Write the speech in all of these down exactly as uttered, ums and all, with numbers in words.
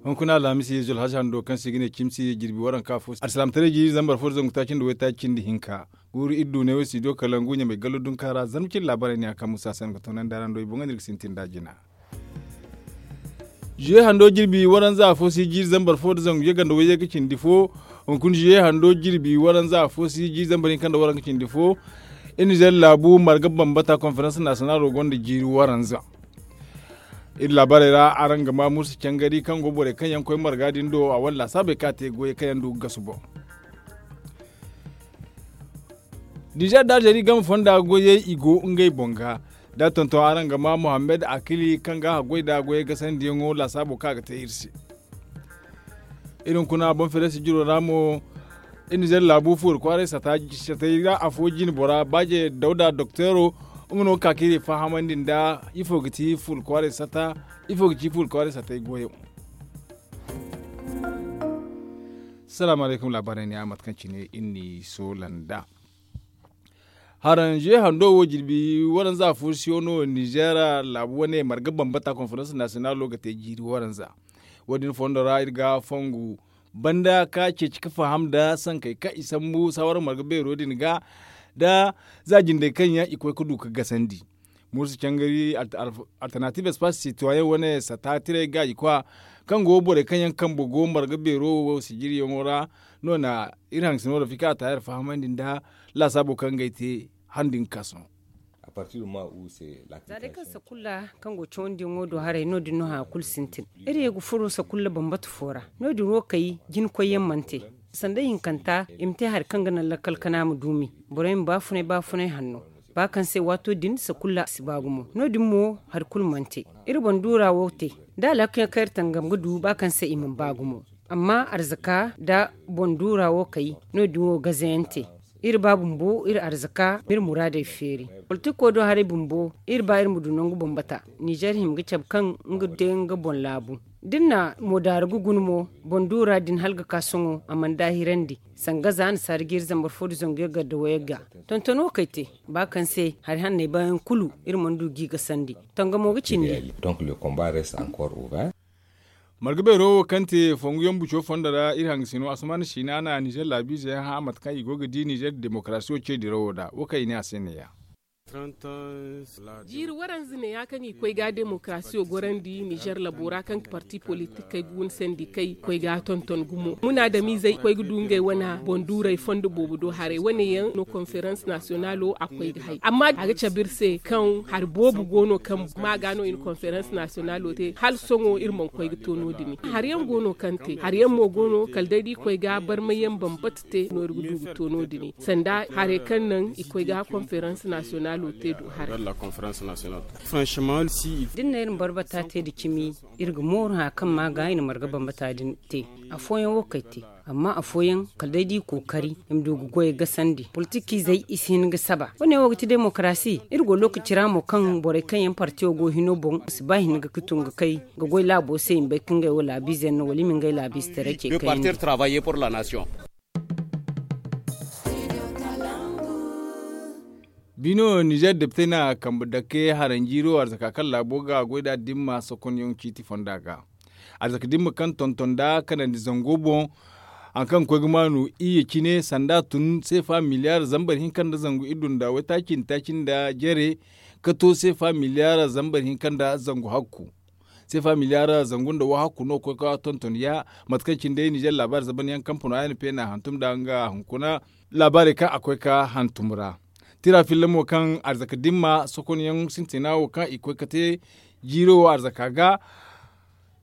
Hunkuna alhamisi zulhaza hando kaŋ se i ga ne cimsi jirbi waranka fo alsilaamataray jiiri zambar fo da zangu taaci nda waytaaci cindi hinka. Guuru iri du neewo studio kalangu ɲamay gallo dunka ra zarma cindi laabaarey ne a kaŋ musa se no ga toonandi araŋ do i boŋ ga no iri ga sintin nd'a jina. Zuye hando jirbi waranza afo si jiiri zambar fo da zangu yaganda wayye ga cindi fo. Hunkuna zuye hando jirbi waranza afo si jiiri zambar hinka nda waranka cindi fo. Iri nizer laabu marga bambata konferans nasiyonalo gonda jiiri waranza. Iri laabaarey ra araŋ ga ma muusa cangari kaŋ go borey kaŋ yaŋ koy marga din do a wane laasaabey kaŋ a te goyey kaŋ yaŋ du ga gasu boŋ. Nizer da alzeri game fonda goyey i go ngey boŋ ga. Da tonton araŋ ga ma mohammed akili kaŋ ga a goy nd'a goyey gasandiyaŋo laasaabo kaŋ a ga te iri se. Iri hunkuna boŋ fereesi jiro ra mo. Iri nizer laabu fuuri kwaaray sata satay ra afo jine bora baaje dawda dokteero. Nga no ga ka ka iri fahamandi nda ifo ga ti fuuri kwaaray sata ifo ga ci fuuri kwaaray satay goyo. Salaamu alaykum laabaarey ne a mate kaŋ cine iri n'i soola nd'a. Haranze hando wo jirbi waranza fursiyo no nizer laabu wane marga bambata konferans nasiyonalo ga te jiiri waranza. Wo- din fondo ra iri ga fongu banda ka ceeci ka faham nda sankey kaŋ i sambu saawara marga beero din ga nda za jindey kaŋ yaŋ i koy ga du ga gasandi. Muusa cangari alternatives pas sitoyen wane sata tiray gaaji kwa kaŋ go borey kaŋ yaŋ kambe go marga beero wo sijiriyaŋo ra. No na iri hangasino rafika a taayar fahamandi nda laasaabo kaŋ ga ay te handi nga ka sohõ. Za day kaŋ sakulla kaŋ go cawandiyaŋo do haray no- din no haya kulu sintin. Iri ye ga furo sakulla bambata fo ra. No- din wo kay jina koyyaŋ mana te sanda hinkanta i ma te hari kaŋ ga naŋ lakkal kana ma duumi. Borey ma baafunay baafunay hanno ba kaŋ se waato din sakulla si ba gumo no- din mo hari kulu mana te. Iri boŋ duura wo te da alhakiyaŋ kaŋ iri tangam ga du ba kaŋ se i mana ba gumo. Amma arzaka nda boŋ duura wo kay no- din wo gazayaŋ te. Iri ba bumbo iri arzaka ma iri muraadey feeri. Politiko do haray bumbo iri ba iri ma du nangu bambata. Nizer hima ga cabe kaŋ nga day nga boŋ laabu da iri na moodaari ga guna mo boŋ duura din hala ga ka sohõ a mana daahirandi. Sanga za nasaara jiiri zambar fo da zangu yaggar da wayagga. Tonton wo kay te ba kaŋ se hari hanney baayaŋ kulu iri mana du g'i gasandi. Tangamo ga cindi. Marga beero wo kaŋ te fonguyaŋ buco fondo ra iri hangasino asuman siina na nizer laabiize yaŋ hã mate kaŋ i go ga di nizer demokarasiyo ce dirawo nd'a wo kaŋ i ne a se neeya. Jiiri waranza neeya kaŋ i koy ga demokarasiyo gorandi nizer labo ra kaŋ parti politikey ga wun sandi kay koy ga tonton gumo munaadamiizey koy ga du ngey wane boŋ duuray fondo boobo do haray wane yaŋ no konferans nasiyonalo a koy ga hay amma a ga cabe iri se kaŋ hari boobo go no kaŋ ma ga no i na konferans nasiyonalo te hala sohõ iri mana koy ga to no- din hari yaŋ go no kaŋ te hari yaŋ mo go no kala day da i koy ga barmay yaŋ bambata te no iri ga du ga to no- din sanda haray kaŋ naŋ i koy ga konferans nasiyonalo te du haray. Da ni na iri ma barbata te nda cimi iri ga mooru haya kaŋ ma ga i na marga bambata din te. Afooyaŋ wo kay te amma afooyaŋ kala day da i kookari i ma du ga goyey gasandi politikiizey i si hin ga saba wane wo ga ti demokarasi iri go lookaci ra mo kaŋ borey kaŋ yaŋ partiyo go hino boŋ i si ba hin ga ka tun ga kay ga goy laabo se i ma bay kaŋ ngey wo laabiize yaŋ no wala i ma ngey laabiize taray ce kaŋ yaŋ. Bino nizer depitey na kambe dake haranjiiro arzaka kaŋ laabo ga goy nd'a dimma sokonyaŋ ciiti fonda ga. Arzaka dimma kaŋ tonton nd'a kanandi zango boŋ hari kaŋ ga koy ga maanu iyye cine sanda tun seefa miliyaar zambar hinka nda zangu iddu nda waytaaci nda taaci nda jare ka to seefa miliyaar zambar hinka nda zangu hakku. Seefa miliyaar zangu nda wahakku no ga koy ga tonton ya mate kaŋ cine day nizer laabaari zaban yaŋ kampano a n p na hantum nd'a nga hunkuna laabaarey kaŋ a koy ga hantum ra. Tira filla mo kaŋ arzaka dimma sokonyaŋ sintina wo kaŋ i koy ga te jiiro wo arzaka ga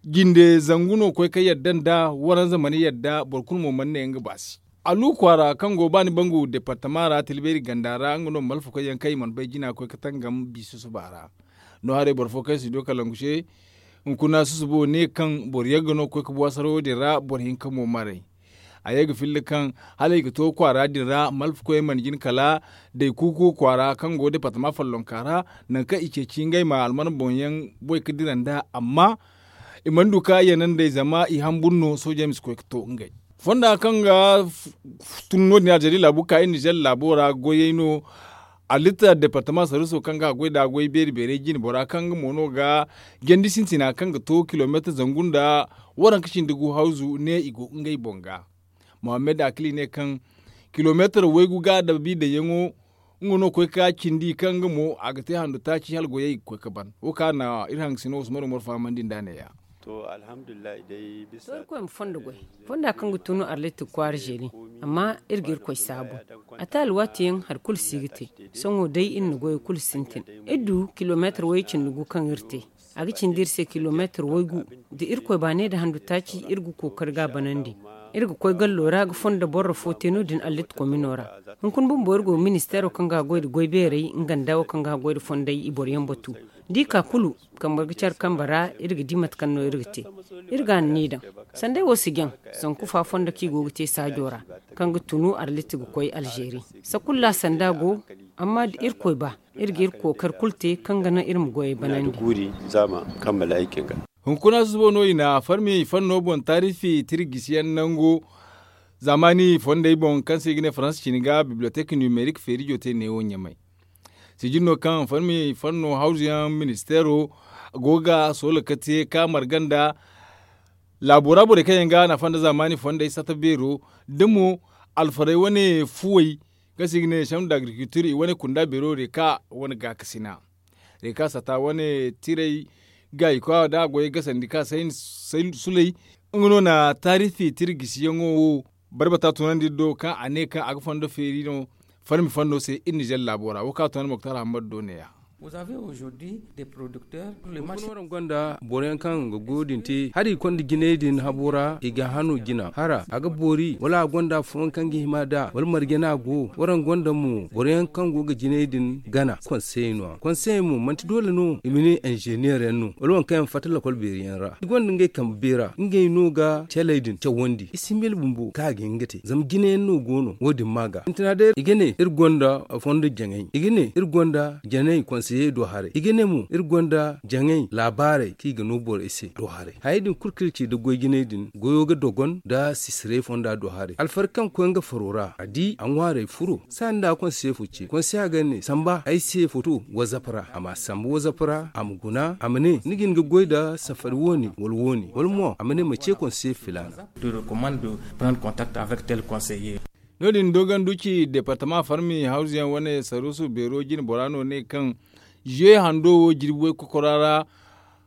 jinde zangu no ga koy ga yadda nda waranza mana yadda boro kulu mo mana ne nga baasi. Alu kwaara kaŋ go baani bangu departama ra tilbeeri ganda ra nga no malfakoy yaŋ kaŋ i mana bay jina ga koy ga tangam bi susuba ra. No haray boro fo kaŋ si du kalangu se hunkuna susubo ne kaŋ boro yagga no ga koy ga buwasarawo din ra boro hinka mo maray. A ye ga filla kaŋ hala i ga to kwaara din ra malfakoy mana jin kala day kuuku kwaara kaŋ go departama follonka ra nangu kaŋ i ceeci ngey ma alman boŋ yaŋ boy ga dira nd'a amma i mana du ka yanandey zama i hambur no soojey ma si koy ga to ngey fonda kaŋ ga tun no- din aljeri laabu ga ka iri nizer laabo ra goyey no. Allitta departama saruso kaŋ ga a goy da goy beeri beerey jine bora kaŋ nga mo no ga jandi sintina kaŋ ga to kilomeetar zangu nda waranka cindi gu hawzu ne i go ngey boŋ ga. Mohammed akili ne kaŋ kilomeetar waygu ga dabi daŋyaŋo nga no koy ka cindi kaŋ nga mo a ga te handu taaci hala goyey ga koy ga ban wo kaŋ a na iri hangasino usman umar fahamandi nd'a ne-ya. To, irkoy ma fondo goy fonda kaŋ ga tunu arlit ga kwaara zeeri. Amma iri ga irkoy saabu a te alwaati yaŋ hari kulu si ga te. Sohõ day iri na goyo kulu sintin iri du kilomeetar way cindi gu kaŋ iri te. A ga cindi iri se kilomeetar waygu. Da irkoy baanay da handu taaci iri ga kookari ga a banandi. Iri ga koy gallo ra ga fondo borro fo te no- din allit komino ra. Hunkuna bumbo iri go ga ministeero kaŋ ga a goy nda goy beerey nga nda wo kaŋ ga a goy nda fondey i boro yaŋ batu. Da i ka kulu kambe ga care kambe ra iri ga di mate kaŋ no iri ga te. Iri ga a na ni daŋ sandey wo si jaŋ. Zanku fa fondo kaŋ i go ga te saajo ra kaŋ ga tunu arlit ga koy alzeeri. Sakulla sanda go. Amma da irkoy ba iri ga iri kookari kulu te kaŋ ga naŋ iri ma goyey banandi. Hunkuna susubo no i na farmi fanno boŋ taarifi tirgisiyaŋ nango zaamaani fondey boŋ kaŋ se i ga ne faransa cine ga bibliyotek nimerik feerijo te neewo ɲamay. Sijin no kaŋ farmi fanno hawzuyaŋ ministeero go ga soola ka te ka marga nda laabo ra borey kaŋ yaŋ ga nafa nda zaamaani fondey sata beero da mo alfarey wane fuwey kaŋ se i ga ne chambre d'agriculture i wane kunda beero reka wane gaakasina. Reka sata wane tirey ga i kwa da a goyey gasandi ka say sulay. Nga no na taarifi tira gisiyaŋo wo barbata tunandi iri do kaŋ a ne kaŋ a ga fondo feeri no farmi fondo se iri nizer laabo ra wo kaŋ a tunandi moktar hammad do ne-ya. Hunkuna waraŋ gonda boro yaŋ kaŋ ga goyo din te hari i konda jinay din habo ra i ga hano jina hara a ga boori wala a gonda afooyaŋ kaŋ ga hima nd'a wala marje no a go waraŋ gonda mo boro yaŋ kaŋ go ga jinay din gana konsey no- ya konsey mo manti doole no i ma ne inzeneer yaŋ no wala waŋ kaŋ yaŋ fatta lakol beeri yaŋ ra i gonda ngey kambe beera ngey no ga caley din cawandi i si mil bumbo kaŋ a ga hin ga te zama jina yaŋ no go no wo- din ma ga sintina day i ga ne iri gonda fondo jaŋay i ga ne iri gonda janey konseye do haray i ga ne mo iri gonda jaŋay laabaarey kaŋ i ga no borey se do haray hayey din kulu kaŋ iri ci nda goy jinay din goyo ga dogon nda sisiray fonda do haray alfarka kaŋ koy nga faro ra a di a ŋwaarey furo saani nda a konseya fo ce konseya ga ne samba ay se foto wazap ra a ma samba wazap ra a ma guna a ma ne ni ga hin ga goy nda safari wo- ne wala wo- ne wala mo a ma ne ma ce konseya filaana. No- din dogon duci departama farmi hawzuyaŋ wane saruusu beero jine bora no ne kaŋ ziye hando wo jirbi way kokora ra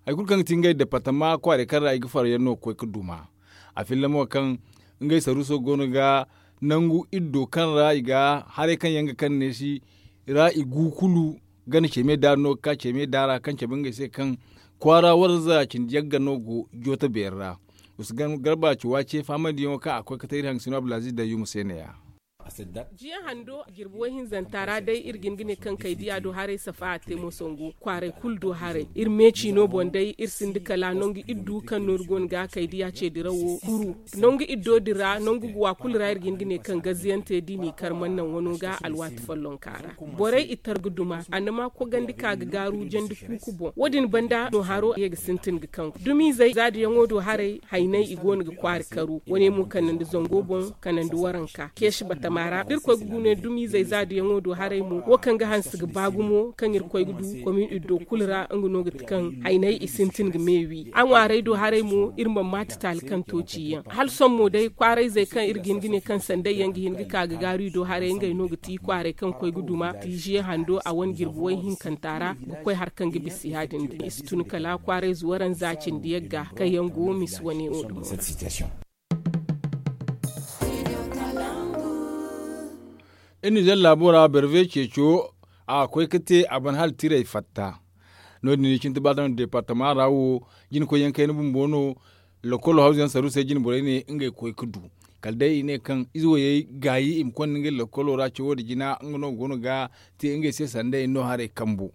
hari kulu kaŋ ga ti ngey departama kwaaray kaŋ ra i ga faro yaŋ no ga koy ga duma a filla mo kaŋ ngey saruuso go no ga nangu iddo kaŋ ra i ga haray kaŋ yaŋ ga kaŋ neesi ra i gu kulu gana ceme daari no ga ka ceme daara kaŋ cabe ngey se kaŋ kwaara warza cindi yagga no go jooto beeri ra. Usu garba ci waace fahamandi yaŋo kaŋ a koy ga te iri hangasino abdulaziz dayyuma se ne- ya. Jiya hando jirbi way hinzanta ra day iri ga hin ga ne kaŋ kaydiya do haray safa a te mo sangu kwaaray kulu do haray iri meeci no boŋ day iri sinda kala nangu iddu kaŋ no iri go no ga kaydiya ce dirawo kuru nangu iddo din ra nangu guwa kulu ra iri ga hin ga ne kaŋ gaziyante da i n'i kar mana naŋ wano ga alwaati follonka ra. Borey i tar ga duma annama kogandi ka ga gaaru jandi kuuku boŋ wo- din banda no haro ye ga sintin ga kaŋ dumizey zaadiyaŋo do haray haynay i go no ga kwaari karu wane mo kanandi zango boŋ kanandi waranka keesi batama ra da irkoy ga gune dumizey zaadiyaŋo do haray mo wo kaŋ ga hanse ga ba gumo kaŋ irkoy ga du komin iddo kulu ra nga no ga ti kaŋ haynay i sintin ga me wi a ŋwaaray do haray mo iri ma maati taali kaŋ to ciyaŋ hala sohõ mo day kwaarayzey kaŋ iri ga hin ga ne kaŋ sanday yaŋ ga hin ga ka ga gaaru i do haray ngey no ga ti kwaaray kaŋ koy ga duma tiiziye hando a wane jirbi way hinkanta ra ga koy hari kaŋ ga bisa ya- din din i si tun kala kwaarayze waranza cindi yagga kaŋ yaŋ go misi wane wo dumo ra. Iri nizer laabo ra berve ceeco a ga koy ga te a ban hala tiray fatta. No- din i cindi ba daŋ departama ra wo jina koy yaŋ kayna bumbo no. Lokolo hawzu yaŋ saruusey jina borey ne ngey ga koy ga du kala day i ne kaŋ ize wayey gaayi i ma konda ngey lokolo ra cawo nda jina nga no go no ga te ngey se sanda i no haray kambu.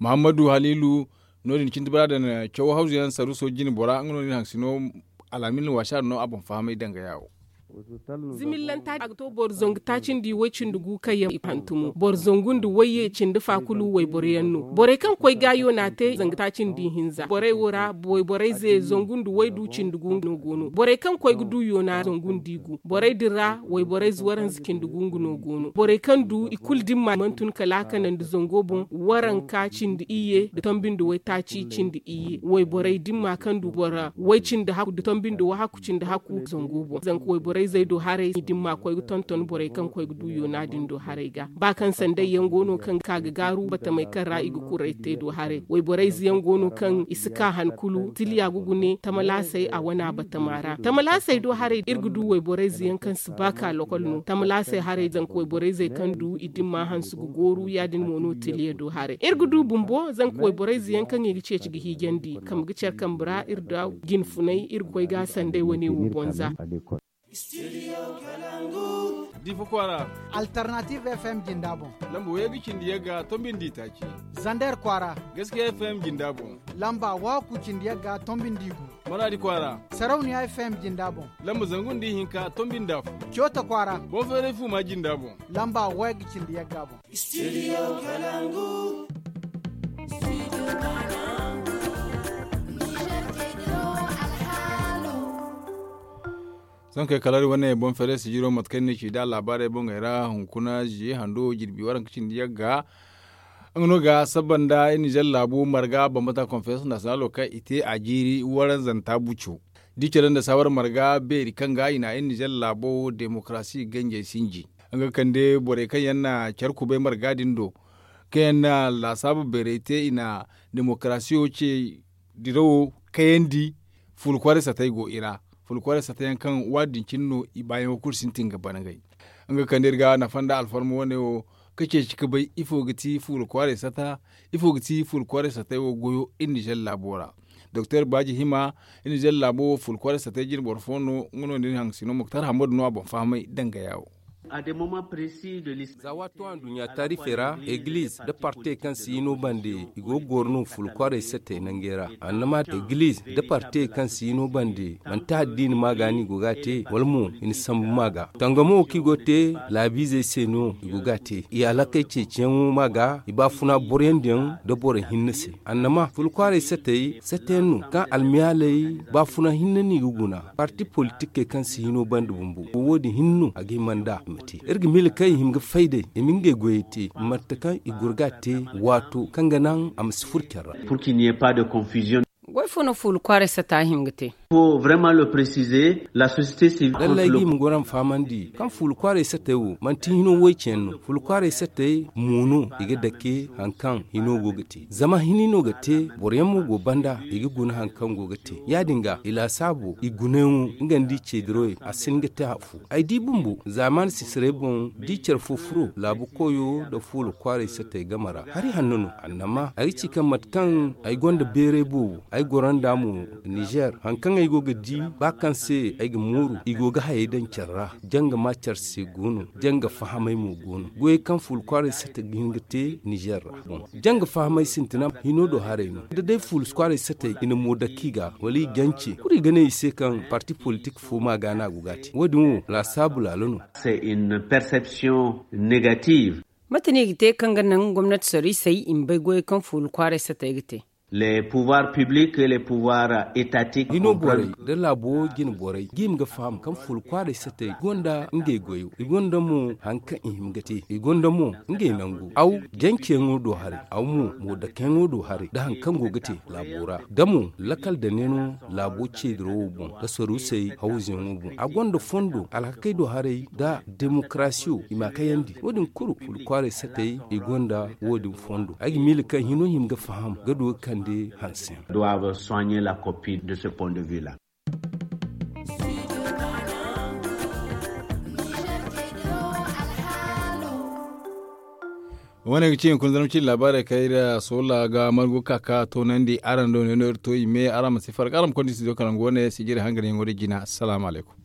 Muhammadu haliilu no- din cindi ba daŋ cawo hawzu yaŋ saruuso jina bora nga no din haŋsino alhamin waasa no a boŋ fahamay dangaya wo. Zimillanta a ga to boro zangu taaci nda way cindi gu kaŋ yaŋ i hantumo boro zangu nda wayye cindi fa kulu wayboro yaŋ no. Borey kaŋ koy gaayo n'a te zangu taaci nda ihinza borey wo ra wayborey ze zangu nda waydu cindi gu no go no borey kaŋ koy ga du yoona zangu nda i gu borey din ra wayborey ze waranza cindi gu nga no go no borey kaŋ du i kulu dimma mana tun kala a kanandi zango boŋ waranka cindi iyye nda tombi nda waytaaci cindi iyye wayborey dimma kaŋ du boro way cindi hakku nda tombi nda wahakku cindi hakku zango boŋ zanka wayborey zey do haray i dimma koy ga tonton borey kaŋ koy ga du yoona din do haray ga ba kaŋ sanday yaŋ go no kaŋ ga ka ga gaaru batamey kaŋ ra i ga kuray te do haray wayborey ze yaŋ go no kaŋ i si ka han kulu siliya ga gune tamalaasey a wana batama ra tamalaasey do haray iri ga du wayborey ze yaŋ kaŋ si ba ka lokol no tamalaasey haray zanka wayborey zey kaŋ du i dimma hanse ga gooru ya- din mo no tiliya do haray iri ga du bumbo zanka wayborey ze yaŋ kaŋ i ga ceeci ga hiijandi kambe ga care kambe ra iri da jinfunay iri ga koy ga a sanday wane wo boŋ za. Difa kwaara. Alternative f m jinda boŋ. Lamba waygu cindi yagga tombi nda itaaci. Zander kwaara. Gaskiya f m jinda boŋ. Lamba waku cindi yagga tombi nda igu. Maradi kwaara. Sarauniya f m jinda boŋ. Lamba zangu nda ihinka tombi nda afo. Coota kwaara. Boŋ feeray fuuma jinda boŋ. Lamba waygu cindi yagga boŋ. Sohõ kay kala iri wane boŋ feeray sijiro mate kaŋ ni ci nd'a laabaarey boŋey ra hunkuna ziye hando jirbi waranka cindi yagga. Nga no ga saba nda iri nizer laabo marga bambata konferans nasiyonalo kaŋ i te a jiiri waranzanta buco da i care nda saawar marga beeri kaŋ ga i na iri nizer laabo demokarasi ganjey sinji. Nga ga kande borey kaŋ yaŋ na care kubay marga din do kaŋ yaŋ na laasaabu beerey te i na demokarasiyo ce dirawo kayandi. Fuula kwaaray satey go i ra. Fuula kwaaray satey yaŋ kaŋ waadin cine no i baayaŋo kulu sintin ga bana ngey. Nga ga kande iri ga nafa nda alfarma wane wo ka ceeci ka bay ifo ga ti fuula kwaaray sata ifo ga ti fuula kwaaray satey wo goyo iri nizer laabo ra. Doktor baaji hima iri nizer laabo wo fuula kwaaray satey jine boro fo no nga no nda iri hangasino muktar hammadu no a boŋ fahamay dangaya wo. Za waato a nduɲɲa taarifey ra egiliz nda partey kaŋ si hino bande i go ga goro no fuula kwaaray satey nangey ra. Annama egiliz nda partey kaŋ si hino bande manti addiini maaga no i go ga a te wala mo i na sambu maaga tangamo wo kaŋ i go ga te laabiizey se no i go ga a te i alakey ceeciyaŋo maaga i baafuna boroyandiyaŋ nda boro hinne se. Annama fuula kwaaray satey sateyaŋ no kaŋ almiyaaley baafuna hinne no i ga guna. Parti politikey kaŋ si hino banda bumbo wo- din hinne no a ga hima nd'a i ma te iri ga miila kaŋ i hima ga fay day i ma ngey goyey te mate kaŋ i goro ga a te waato kaŋ ga naŋ a ma si furo care ra. Goy fo no fuula kwaaray sata hima ga te? Lallay ga i ma goro a ma fahamandi kaŋ fuula kwaaray satey wo manti hino woy-ce yaŋ no fuula kwaaray satey mo no i ga dake hari kaŋ hino go ga te zama hini no ga te boro yaŋ mo go banda i ga guna hari kaŋ go ga te ya- din ga i laasaabo i gunayaŋo nga nda i ceedirawey a si hin ga te afo. Ay di bumbo zaamaani sisaray boŋ da i care fo furo laabu koyo nda fuula kwaaray satey game ra hari hanno no annama ay ga ci kaŋ mate kaŋ ay gonda beeray boobo ay goro nd'a mo nizer hari kaŋ ay go ga di ba kaŋ se ay ga mooru i go ga hayey daŋ care ra. Janga ma care se go no. Janga fahamay mo go no goyey kaŋ fuula kwaaray satey ga hin ga te nizer ra boŋ. Janga fahamay sintina hino do haray no da day fuula kwaaray satey i na mo dake i ga wala i jance kulu i ga ne i se kaŋ parti politik fo maaga no a go ga a te wo- din wo laasaabu laalo no. Mate no i ga te kaŋ ga naŋ gomnati soriisey i ma bay goyey kaŋ fuula kwaaray satey ga te? Hino borey nda laabo jine borey ga i ma ga faham kaŋ fuula kwaaray satey gonda ngey goyo i gonda mo hari kaŋ i hima ga te i gonda mo ngey nangu aw janceyaŋo do haray aw mo mo dakeyaŋo do haray nda hari kaŋ go ga te laabo ra da mo lakal dane no laabo ceediro wo boŋ nda sorusey hawzuyaŋo boŋ a gonda fondo alhakey do haray nda demokarasiyo i ma a kayandi wo- din kulu fuula kwaaray satey i gonda wo- din fondo ay ga miila kaŋ hino hima ga faham ga du ga kande hanse yaŋ. Wane ga ci hunkuna zarma cine laabaarey kaŋ iri a soola ga margu ka ka toonandi araŋ do ne no iri to i me araŋ ma si farga araŋ ma konda i si do ka nangu wane sijiri hanganyaŋo da jina salaamu alaykum.